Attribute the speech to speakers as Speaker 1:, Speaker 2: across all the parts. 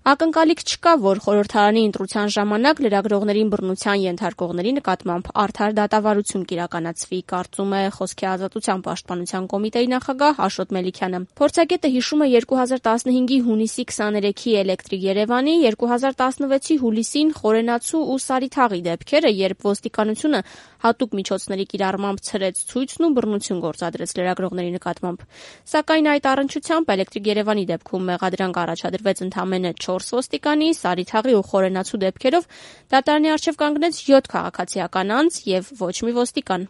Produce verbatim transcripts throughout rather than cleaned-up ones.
Speaker 1: Ակնկալիք չկա, որ խորհրդարանի ընտրության ժամանակ լրագրողներին բռնության ենթարկողների նկատմամբ արդար դատավարություն կիրականացվի, կարծում է Խոսքի ազատության պաշտպանության կոմիտեի նախագահ Աշոտ Մելիքյանը։ Փորձագետը հիշում է երկու հազար տասնհինգի հունիսի քսաներեքի Էլեկտրիկ Երևանի, երկու հազար տասնվեցի հուլիսին Խորենացու ու Սարիթաղի դեպքերը, երբ ոստիկանությունը հատուկ միջոցների կիրառմամբ ցրեց ցույցն ու բռնություն գործադրեց լրագրողների նկատմամբ։ Սակայն այդ առնչությամբ Էլեկտրիկ Երևանի դեպքում մեղադրանք առաջադրվեց ընդամենը չորս ոստիկանի, Սարիթաղի ու Խորենացու դեպքերով դատարանի առջև կանգնեց յոթ քաղաքացիական անձ եւ ոչ մի ոստիկան։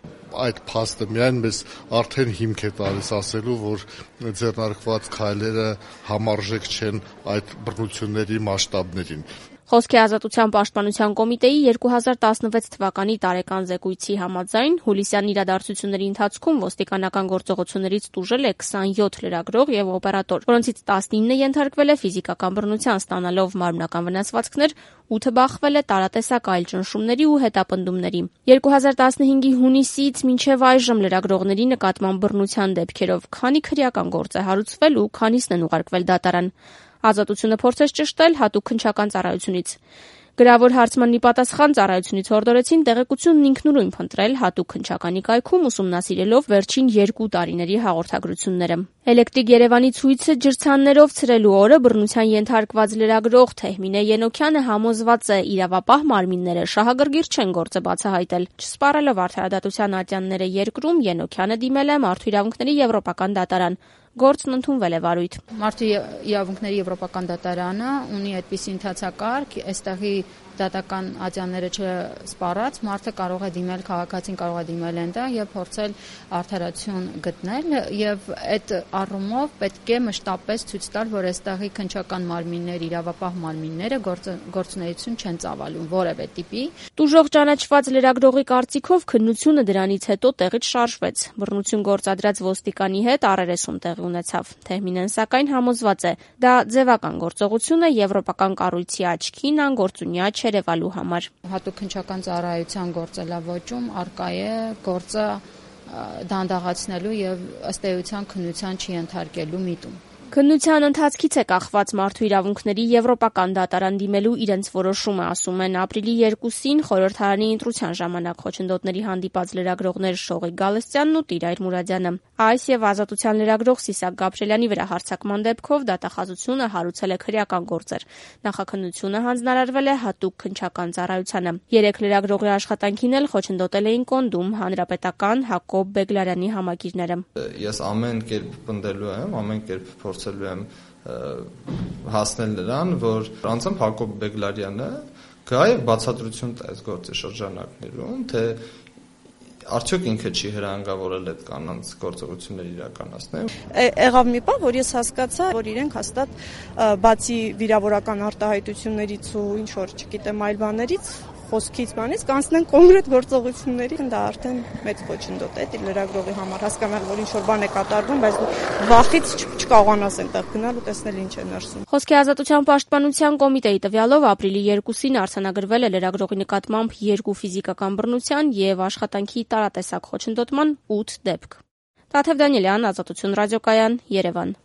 Speaker 2: Այդ փաստը միայն մեզ արդեն հիմք է տալիս ասելու, որ ձեռնարկված քայլերը համարժեք չեն այդ բռնությունների մասշտաբներին։
Speaker 1: Խոսքի ազատության պաշտպանության կոմիտեի երկու հազար տասնվեց թվականի տարեկան զեկույցի համաձայն հուլիսյան իրադարձությունների ընթացքում ոստիկանական գործողություններից տուժել է քսանյոթ լրագրող եւ օպերատոր, որոնցից տասնինը ենթարկվել է ֆիզիկական բռնության, ստանալով մարմնական վնասվածքներ, ութը բախվել է տարատեսակ այլ ճնշումների ու հետապնդումների։ երկու հազար տասնհինգի հունիսից մինչև այժմ լրագրողների նկատմամբ բռնության դեպքերով քանի քրեական գործ է հարուցվել ու քանիսն են ուղարկվել դատարան։ Ազատությունը փորձեց ճշտել հատուկ քննչական ծառայությունից։ Գրավոր հարցմանն ի պատասխան ծառայությունից հորդորեցին տեղեկությունն ինքնուրույն փնտրել հատուկ քննչականի կայքում, ուսումնասիրելով վերջին երկու տարիների հաղորդագրությունները։ Էլեկտրիկ Երևանի ցույցը ջրցաններով ցրելու օրը բռնության ենթարկված լրագրող Թեհմինե Ենոքյանը համոզված է, իրավապահ մարմինները շահագրգիռ չեն գործը բացահայտել։ Չսպառելով արդարադատության ատյանները երկրում, Ենոքյանը դիմել է Մարդու իրավունքների եվրոպական դատարան։ Գործն ընդունվել է վարույթ։
Speaker 3: Մարդու իրավունքների եվրոպական դատարանը ունի այդպիսի ընթացակարգ, այստեղի դատական ատյանները չսպառած, մարդը կարող է դիմել, քաղաքացին կարող է դիմել այնտեղ եւ փորձել արդարացիություն գտնել, եւ այդ առումով պետք է մշտապես ցույց տալ, որ այստեղի քննչական մարմինները, իրավապահ մարմինները գործունեություն չեն ծավալում որևէ տիպի։
Speaker 1: Տուժող ճանաչված լրագրողի կարծիքով քննությունը դրանից հետո տեղից շարժվեց։ Բռնություն գործադրած ոստիկանի հետ առերեսում տեղի ունեցավ։ Թեհմինեն սակայն համոզված է, դա ձևական գործողություն է եվրոպական կառույցի աչքին անգործունյա չերևալու համար։
Speaker 3: Հատուկ քննչական ծառայության գործելավոճում արկա է գործը դանդաղացնելու եւ ըստ էության քննության չենթարկելու միտում։
Speaker 1: Քննության ընթացքից է կախված Մարդու իրավունքների եվրոպական դատարան դիմելու իրենց որոշումը, ասում են ապրիլի երկուսին խորհրդարանի ընտրության ժամանակ խոչընդոտների հանդիպած լրագրողներ Շողիկ Գալստյանն ու Տիրայր Մուրադյանը։ Այս եւ Ազատության լրագրող Սիսակ Գաբրելյանի վրա հարձակման դեպքով դատախազությունը հարուցել է քրեական գործեր։ Նախաքննությունը հանձնարարվել է հատուկ քննչական ծառայությանը։ Երեք լրագրողի աշխատանքին էլ խոչընդոտել էին Կոնդում, Հանրապետական, Հակոբ Բեգլարյանի համակիրները։
Speaker 4: Ես ամեն կերպ պնդելու եմ, ամեն կերպ փորձելու եմ հասնել նրան, որ անձամբ Հակոբ Բեգլարյանը գա եւ բացատրություն տա այս գործի շրջանակներում, թե արդյոք ինքը չի հրանգավորել այդ կանանց գործողություններ իրականացնել։
Speaker 5: Եղավ մի բան, որ ես հասկացա, որ իրենք հաստատ բացի վիրավորական արտահայտություններից ու ինչ որ, չգիտեմ, այլ բաներից խոսքից բանից կանցնեն կոնկրետ գործողությունների, դա արդեն մեծ խոչընդոտ է դի լրագրողի համար, հասկանալ, որ ինչ որ բան է կատարվում, բայց վախից չկարողանաս այնտեղ գնալ ու տեսնել ինչ է ներսում։
Speaker 1: Խոսքի ազատության պաշտպանության կոմիտեի տվյալով ապրիլի երկուսին արձանագրվել է լրագրողի նկատմամբ երկու ֆիզիկական բռնության եւ աշխատանքի տարատեսակ խոչընդոտման ութ դեպք։ Տաթև Դանիելյան, Ազատություն ռադիոկայան, Երևան։